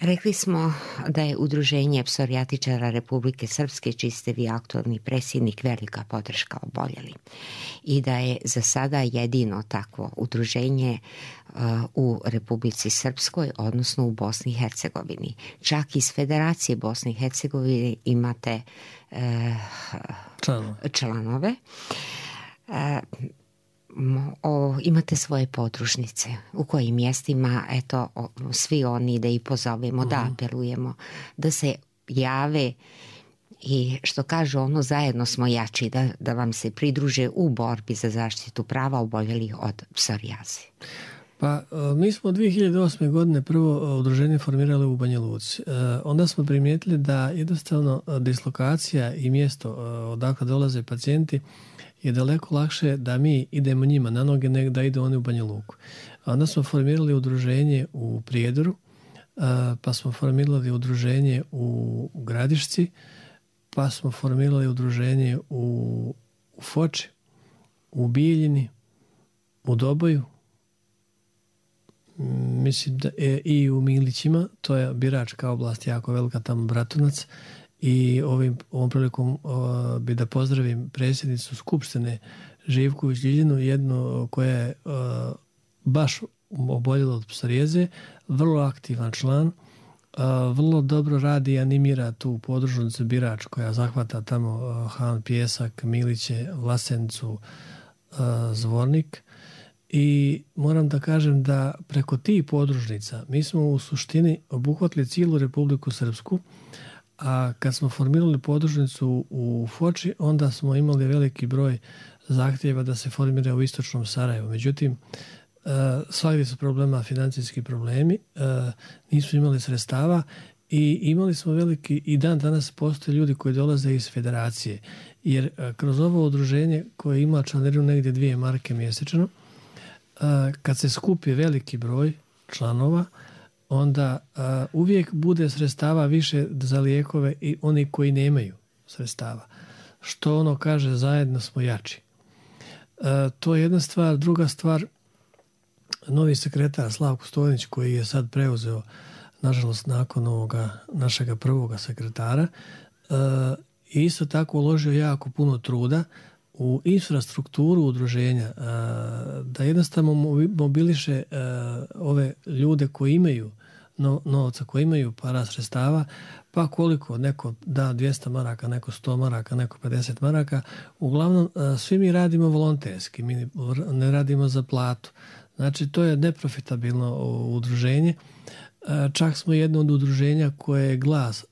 Rekli smo da je Udruženje psorijatičara Republike Srpske, čiji ste vi aktualni predsjednik, velika podrška oboljeli i da je za sada jedino takvo udruženje uh, u Republici Srpskoj, odnosno u Bosni i Hercegovini. Čak iz Federacije Bosne i Hercegovine imate uh, članove. članove. Uh, O, imate svoje podružnice u kojim mjestima, eto, o, svi oni da ih pozovemo, uh-huh. da apelujemo, da se jave i što kažu ono, zajedno smo jači, da, da vam se pridruže u borbi za zaštitu prava oboljelih od psorijaze. Pa mi smo dvije hiljade osme godine prvo udruženje formirali u Banja Luci. Onda smo primijetili da jednostavno dislokacija i mjesto odakle dolaze pacijenti je daleko lakše da mi idemo njima na noge nego da idu oni u Banja Luku. Onda smo formirali udruženje u Prijedoru, pa smo formirali udruženje u Gradišci, pa smo formirali udruženje u, u Foči, u Bijeljini, u Doboju, mislim da je i u Milićima, to je biračka oblast jako velika, tamo Bratunac, i ovim, ovom prilikom o, bi da pozdravim predsjednicu Skupštine Živković Ljiljanu, jednu koja je o, baš oboljela od psorijeze, vrlo aktivan član, o, vrlo dobro radi i animira tu podružnicu birač koja zahvata tamo o, Han, Pjesak, Miliće, Vlasenicu, o, Zvornik. I moram da kažem da preko tih podružnica mi smo u suštini obuhvatili cijelu Republiku Srpsku, a kad smo formirali podružnicu u Foči, onda smo imali veliki broj zahtjeva da se formira u istočnom Sarajevu. Međutim, svakdje su problema, financijski problemi, nismo imali sredstava i imali smo veliki, i dan danas postoje ljudi koji dolaze iz federacije, jer kroz ovo udruženje koje ima članarinu negdje dvije marke mjesečno, kad se skupi veliki broj članova, onda uh, uvijek bude sredstava više za lijekove i oni koji nemaju sredstava. Što ono kaže, zajedno smo jači. Uh, to je jedna stvar. Druga stvar, novi sekretar Slavko Stojnić, koji je sad preuzeo, nažalost, nakon ovoga našega prvoga sekretara, uh, isto tako uložio jako puno truda u infrastrukturu udruženja, da jednostavno mobiliše ove ljude koji imaju novca, koji imaju para sredstava, pa koliko, neko da dvjesto maraka, neko sto maraka, neko pedeset maraka. Uglavnom, svi mi radimo volonterski, mi ne radimo za platu. Znači, to je neprofitabilno udruženje. Čak smo jedno od udruženja koje je Glas,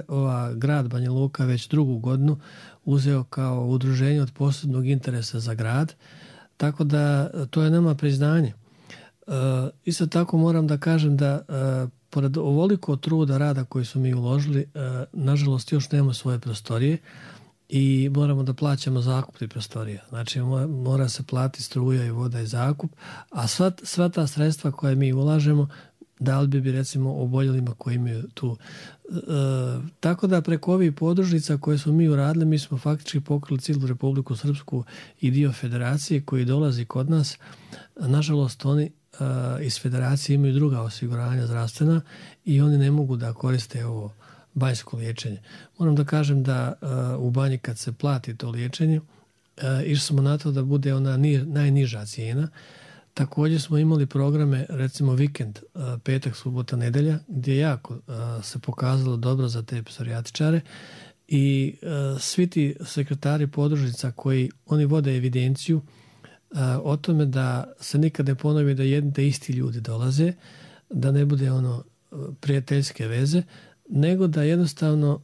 ova grad Banja Luka već drugu godinu uzeo kao udruženje od posebnog interesa za grad, tako da to je nama priznanje. E, isto tako moram da kažem da e, pored ovoliko truda rada koji su mi uložili, e, nažalost još nemamo svoje prostorije i moramo da plaćamo zakup tih prostorija. Znači mora se platiti struja i voda i zakup, a sva, sva ta sredstva koje mi ulažemo dali bi bi recimo oboljelima koji imaju tu. E, tako da preko ovih podružnica koje smo mi uradili, mi smo faktički pokrili cijelu Republiku Srpsku i dio federacije koji dolazi kod nas. Nažalost, oni e, iz federacije imaju druga osiguranja zdravstvena i oni ne mogu da koriste ovo banjsko liječenje. Moram da kažem da e, u banji kad se plati to liječenje, e, išli smo na to da bude ona ni, najniža cijena. Također smo imali programe, recimo vikend, petak, subota, nedelja, gdje jako se pokazalo dobro za te psorijatičare i svi ti sekretari podružnica koji oni vode evidenciju o tome da se nikad ne ponovi da jedni te isti ljudi dolaze, da ne bude ono prijateljske veze, nego da jednostavno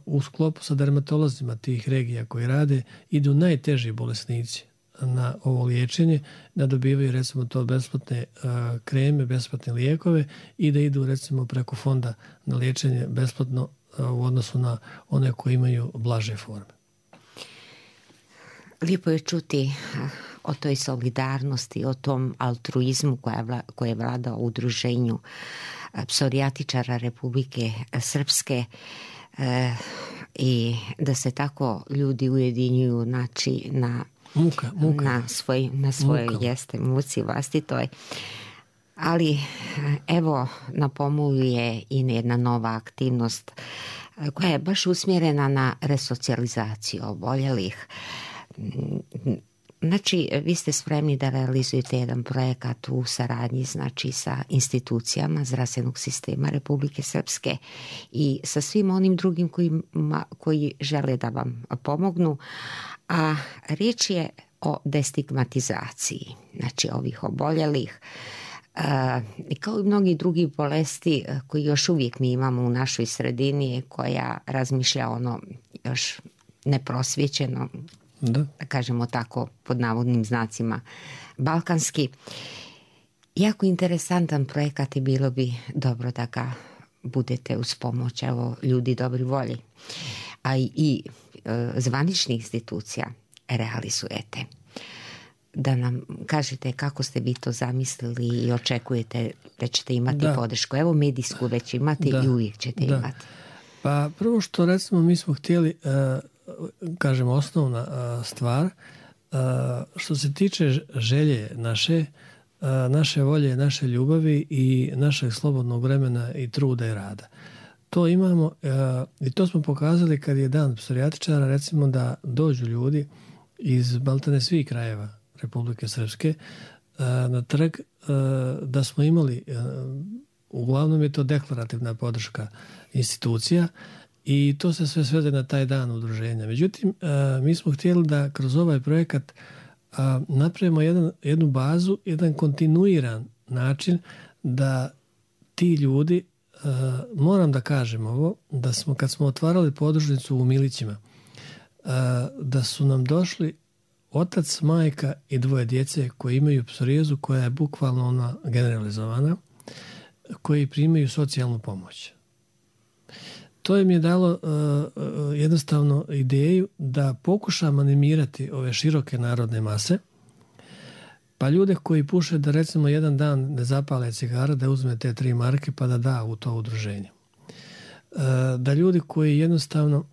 u sklopu sa dermatolozima tih regija koji rade idu najteži bolesnici na ovo liječenje, da dobivaju recimo to besplatne uh, kreme, besplatne lijekove i da idu recimo preko fonda na liječenje besplatno uh, u odnosu na one koji imaju blaže forme. Lijepo je čuti o toj solidarnosti, o tom altruizmu koja vla, koje vlada u udruženju psorijatičara Republike Srpske e, i da se tako ljudi ujedinjuju, znači na Muka, muka. na svoj, na svojoj muka. Jeste muci vlastitoj. Ali evo na pomolu je i jedna nova aktivnost koja je baš usmjerena na resocijalizaciju oboljelih. Znači, vi ste spremni da realizujete jedan projekat u saradnji, znači, sa institucijama zdravstvenog sistema Republike Srpske i sa svim onim drugim koji, koji žele da vam pomognu, a riječ je o destigmatizaciji, znači, ovih oboljelih. I kao i mnogi drugi bolesti koji još uvijek mi imamo u našoj sredini, koja razmišlja ono još neprosvjećeno, da. da kažemo tako pod navodnim znacima balkanski. Jako interesantan projekat i bilo bi dobro da ga budete uz pomoć evo, ljudi dobri volji, a i, i e, zvaničnih institucija realizujete. Da nam kažete kako ste vi to zamislili i očekujete da ćete imati da. podršku. Evo medijsku već imate da. i uvijek ćete da. imati. Pa prvo što recimo mi smo htjeli, kažemo osnovna stvar, što se tiče želje naše, naše volje, naše ljubavi i našeg slobodnog vremena i truda i rada. To imamo i to smo pokazali kad je dan psorijatičara, recimo da dođu ljudi iz maltene svih krajeva Republike Srpske na trg, da smo imali, uglavnom je to deklarativna podrška institucija i to se sve svede na taj dan udruženja. Međutim, mi smo htjeli da kroz ovaj projekat napravimo jedan, jednu bazu, jedan kontinuiran način da ti ljudi, moram da kažem ovo, da smo kad smo otvarali podružnicu u Milićima, da su nam došli otac, majka i dvoje djece koji imaju psorijazu koja je bukvalno ona generalizovana, koji primaju socijalnu pomoć. To im je dalo uh, jednostavno ideju da pokušam animirati ove široke narodne mase, pa ljude koji puše da recimo jedan dan ne zapale cigara, da uzme te tri marke pa da da u to udruženje. Uh, da ljudi koji jednostavno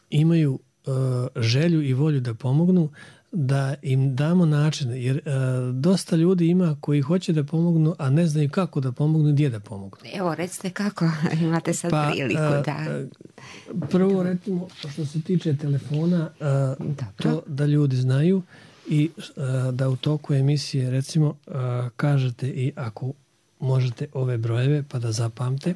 imaju uh, želju i volju da pomognu, da im damo način, jer uh, dosta ljudi ima koji hoće da pomognu, a ne znaju kako da pomognu i gdje da pomognu. Evo, recite kako, imate sad pa, priliku uh, da... Prvo, recimo, što se tiče telefona, uh, to da ljudi znaju i uh, da u toku emisije, recimo, uh, kažete i ako možete ove brojeve pa da zapamte.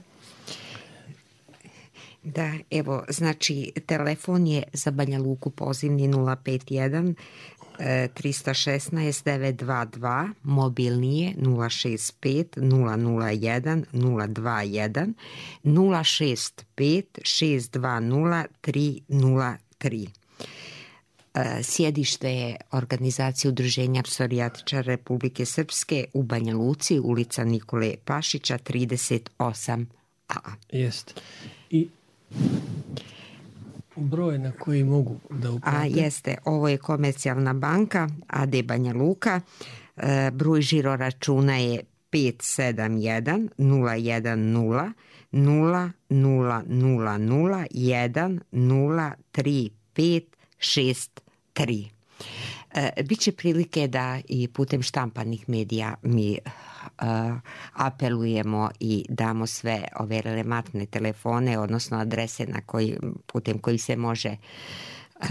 Da, evo, znači, telefon je za Banja Luku pozivni nula pet jedan tri jedan šest devet dva dva, mobilni je nula šest pet nula nula jedan nula dva jedan, nula šest pet šest dva nula tri nula tri. Sjedište je organizacije Udruženja psorijatičara Republike Srpske u Banja Luci, ulica Nikole Pašića trideset osam a. Jeste. I broj na koji mogu da uplate? A jeste, ovo je Komercijalna banka A D Banja Luka, e, broj žiro računa je pet sedam jedan nula jedan nula nula nula nula nula jedan nula tri pet šest tri. E, biće prilike da i putem štampanih medija mi Uh, apelujemo i damo sve ove relevantne telefone, odnosno adrese na koji, putem koji se može uh,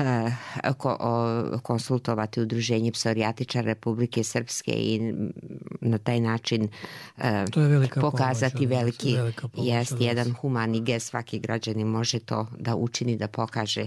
ko, o, konsultovati Udruženje psorijatičara Republike Srpske i na taj način uh, to je velika pokazati pomoć, veliki velika pomoć, jest jedan humani gest. Svaki građanin može to da učini, da pokaže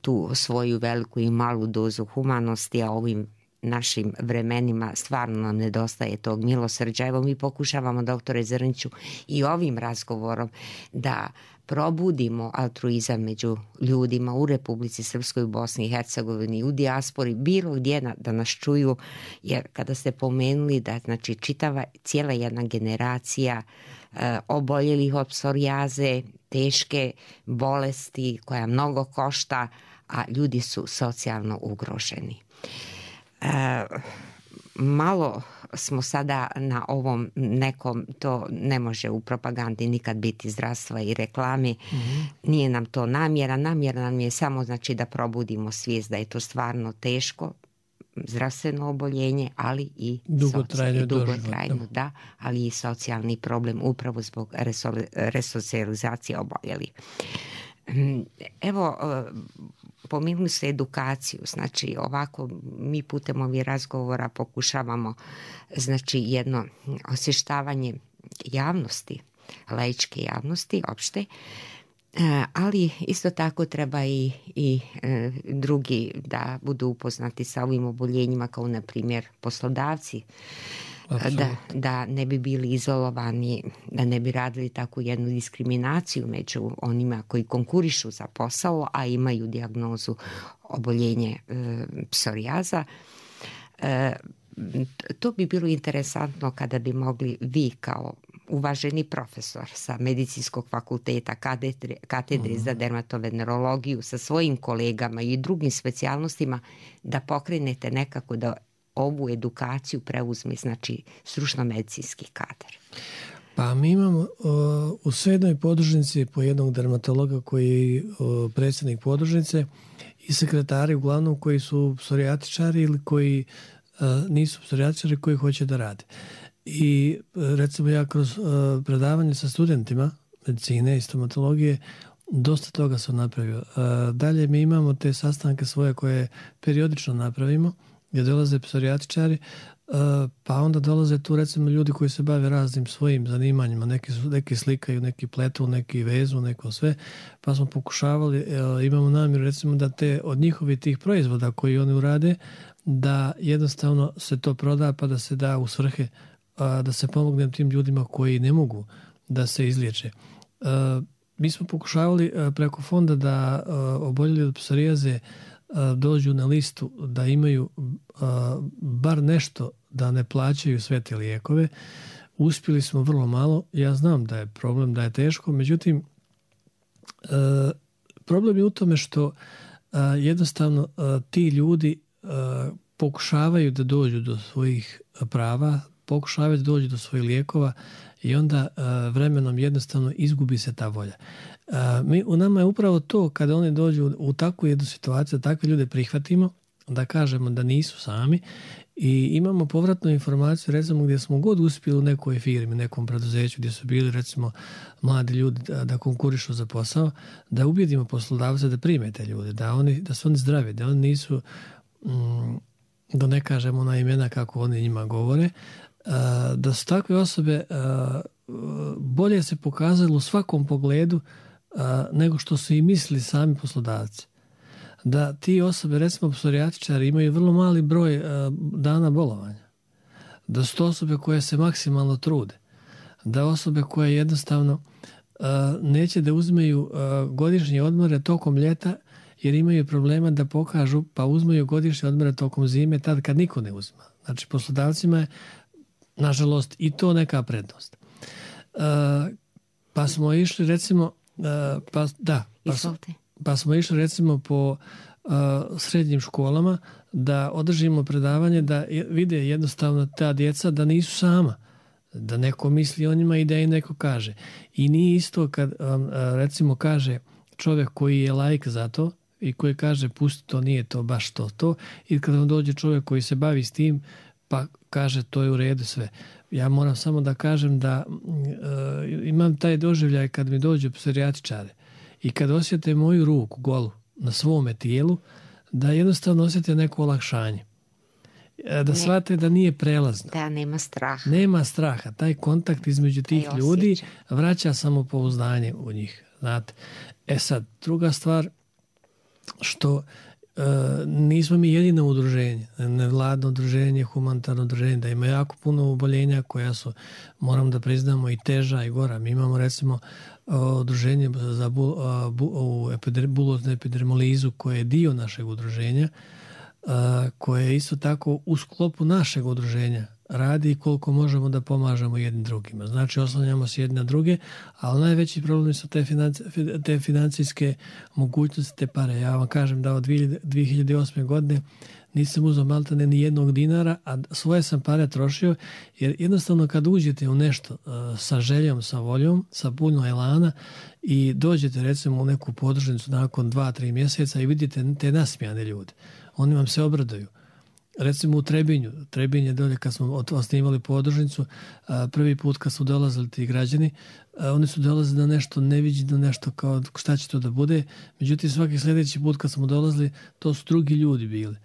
tu svoju veliku i malu dozu humanosti, a ovim našim vremenima stvarno nam nedostaje tog milosrđa. Evo mi pokušavamo, doktore Zrniću, i ovim razgovorom da probudimo altruizam među ljudima u Republici Srpskoj, u Bosni i Hercegovini, u dijaspori, bilo gdje na, da nas čuju, jer kada ste pomenuli da znači čitava cijela jedna generacija e, oboljelih od psorijaze, teške bolesti koja mnogo košta, a ljudi su socijalno ugroženi. E, malo smo sada na ovom nekom, to ne može u propagandi nikad biti zdravstva i reklame, mm-hmm. nije nam to namjera, namjera nam je samo znači da probudimo svijest da je to stvarno teško zdravstveno oboljenje, ali i dugotrajno, dugotrajno da, ali i socijalni problem upravo zbog resocijalizacije oboljelih. Evo, pominuli ste edukaciju, znači ovako mi putem ovih razgovora pokušavamo znači jedno osvještavanje javnosti, laičke javnosti opšte, ali isto tako treba i, i drugi da budu upoznati sa ovim oboljenjima, kao na primjer poslodavci, da, da ne bi bili izolovani, da ne bi radili takvu jednu diskriminaciju među onima koji konkurišu za posao, a imaju dijagnozu oboljenje e, psorijaza. E, to bi bilo interesantno kada bi mogli vi kao uvaženi profesor sa medicinskog fakulteta, katedre, katedre za dermatovenerologiju, sa svojim kolegama i drugim specijalnostima da pokrenete nekako da ovu edukaciju preuzme znači stručno medicinski kadar. Pa mi imamo uh, u svednoj podružnici po jednog dermatologa koji je uh, predsjednik podružnice i sekretari uglavnom koji su psorijatičari ili koji uh, nisu psorijatičari koji hoće da rade. I recimo ja kroz uh, predavanje sa studentima medicine i stomatologije dosta toga sam napravio. Uh, dalje mi imamo te sastanke svoje koje periodično napravimo gdje dolaze psorijatičari, uh, pa onda dolaze tu recimo ljudi koji se bave raznim svojim zanimanjima, neki, su, neki slikaju, neki pletu, neki vezu, neko sve, pa smo pokušavali, uh, imamo namjeru recimo da te od njihovih tih proizvoda koji oni urade, da jednostavno se to proda pa da se da u svrhe, uh, da se pomogne tim ljudima koji ne mogu da se izliječe. Uh, mi smo pokušavali uh, preko fonda da uh, oboljeli od psorijaze dođu na listu da imaju a, bar nešto da ne plaćaju sve te lijekove. Uspjeli smo vrlo malo. Ja znam da je problem, da je teško, međutim a, problem je u tome što a, jednostavno a, ti ljudi a, pokušavaju da dođu do svojih prava, pokušavaju da dođu do svojih lijekova i onda a, vremenom jednostavno izgubi se ta volja. A, mi, u nama je upravo to kada oni dođu u, u takvu jednu situaciju, da takve ljude prihvatimo, da kažemo da nisu sami i imamo povratnu informaciju recimo gdje smo god uspjeli u nekoj firmi, nekom preduzeću gdje su bili recimo mladi ljudi da, da konkurišu za posao, da ubjedimo poslodavce da prime te ljude, da, oni, da su oni zdravi, da oni nisu, mm, da ne kažemo na imena kako oni njima govore, a, da su takve osobe a, bolje se pokazalo u svakom pogledu a, nego što su i mislili sami poslodavci. Da ti osobe, recimo psorijatičari, imaju vrlo mali broj a, dana bolovanja. Da su to osobe koje se maksimalno trude. Da osobe koje jednostavno a, neće da uzmeju a, godišnje odmore tokom ljeta jer imaju problema da pokažu pa uzmeju godišnje odmore tokom zime tad kad niko ne uzima. Znači poslodavcima je nažalost i to neka prednost. Uh, pa smo išli recimo uh, pa, da, pa, pa smo išli recimo po uh, srednjim školama da održimo predavanje da vide jednostavno ta djeca da nisu sama, da neko misli o njima i da im neko kaže. I nije isto kad um, recimo kaže čovjek koji je laik za to i koji kaže pusti to, nije to baš to to, i kad vam dođe čovjek koji se bavi s tim pa kaže to je u redu sve. Ja moram samo da kažem da uh, imam taj doživljaj kad mi dođu psorijatičari i kad osjete moju ruku golu na svome tijelu, da jednostavno osjete neko olakšanje. Da ne, shvate da nije prelazno. Da nema straha. Nema straha. Taj kontakt između tih ljudi vraća samopouzdanje u njih. Znate. E sad, druga stvar, što Uh, nismo mi jedino udruženje, nevladno udruženje, humanitarno udruženje, da ima jako puno oboljenja koja su, moram da priznamo, i teža i gora. Mi imamo recimo uh, udruženje za bu, uh, bu, uh, epider, buloznu epidermolizu koje je dio našeg udruženja, uh, koje je isto tako u sklopu našeg udruženja radi i koliko možemo da pomažemo jednim drugima. Znači oslanjamo se jedne na druge, ali najveći problem su te, financi, te financijske mogućnosti, te pare. Ja vam kažem da od dvije hiljade osme godine nisam uzeo maltene ni jednog dinara, a svoje sam pare trošio, jer jednostavno kad uđete u nešto uh, sa željom, sa voljom, sa puno elana i dođete recimo u neku podružnicu nakon dva, tri mjeseca i vidite te nasmijane ljude, oni vam se obraduju. Recimo u Trebinju, Trebinj je dolje kad smo osnivali podružnicu, prvi put kad su dolazili ti građani, oni su dolazili na nešto neviđeno, nešto kao šta će to da bude, međutim svaki sljedeći put kad smo dolazili, to su drugi ljudi bili.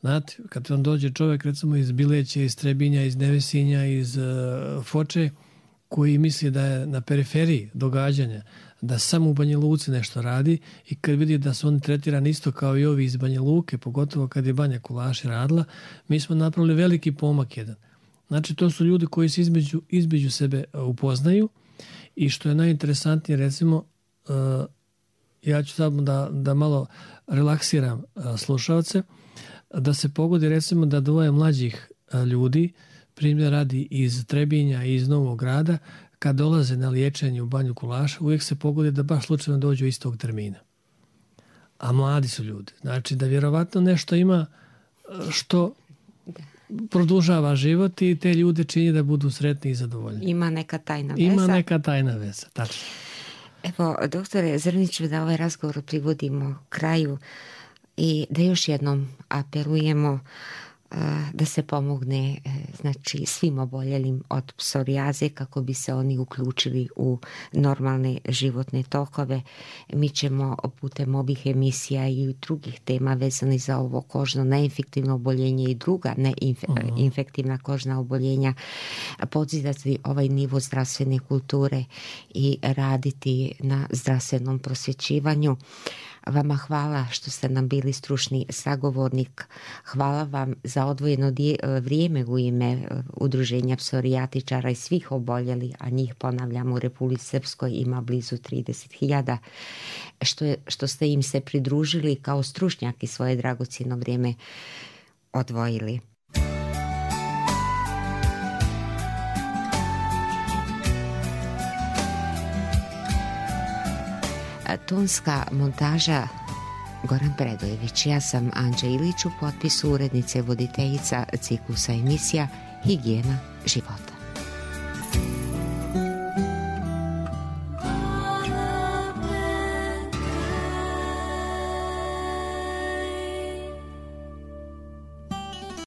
Znate, kad vam dođe čovjek recimo iz Bileće, iz Trebinja, iz Nevesinja, iz uh, Foče, koji misli da je na periferiji događanja, da samo u Banja Luci nešto radi i kad vidi da su oni tretirani isto kao i ovi iz Banja Luke, pogotovo kad je Banja Kulaši radila, mi smo napravili veliki pomak jedan. Znači, to su ljudi koji se između, između sebe upoznaju i što je najinteresantnije, recimo, uh, ja ću samo da, da malo relaksiram uh, slušalce, da se pogodi recimo da dvoje mlađih uh, ljudi, primjer radi iz Trebinja i iz Novog Grada, kad dolaze na liječenje u Banju Kulaša, uvijek se pogodi da baš slučajno dođu istog termina. A mladi su ljudi. Znači da vjerovatno nešto ima što produžava život i te ljude čini da budu sretni i zadovoljni. Ima neka tajna veza. Ima neka tajna veza, tačno. Evo, doktore Zrniću, da ovaj razgovor privodimo kraju i da još jednom apelujemo da se pomogne, znači, svim oboljelim od psorijaze kako bi se oni uključili u normalne životne tokove. Mi ćemo putem ovih emisija i drugih tema vezanih za ovo kožno neinfektivno oboljenje i druga neinfektivna kožna oboljenja podzidati ovaj nivo zdravstvene kulture i raditi na zdravstvenom prosvjećivanju. Vama hvala što ste nam bili stručni sagovornik. Hvala vam za odvojeno vrijeme u ime Udruženja psorijatičara i svih oboljeli, a njih, ponavljam, u Republici Srpskoj ima blizu trideset hiljada, što, što ste im se pridružili kao stručnjak i svoje dragocjeno vrijeme odvojili. Tonska montaža Goran Predojević. Ja sam Anđa Ilić, u potpisu urednice voditeljica ciklusa emisija Higijena života.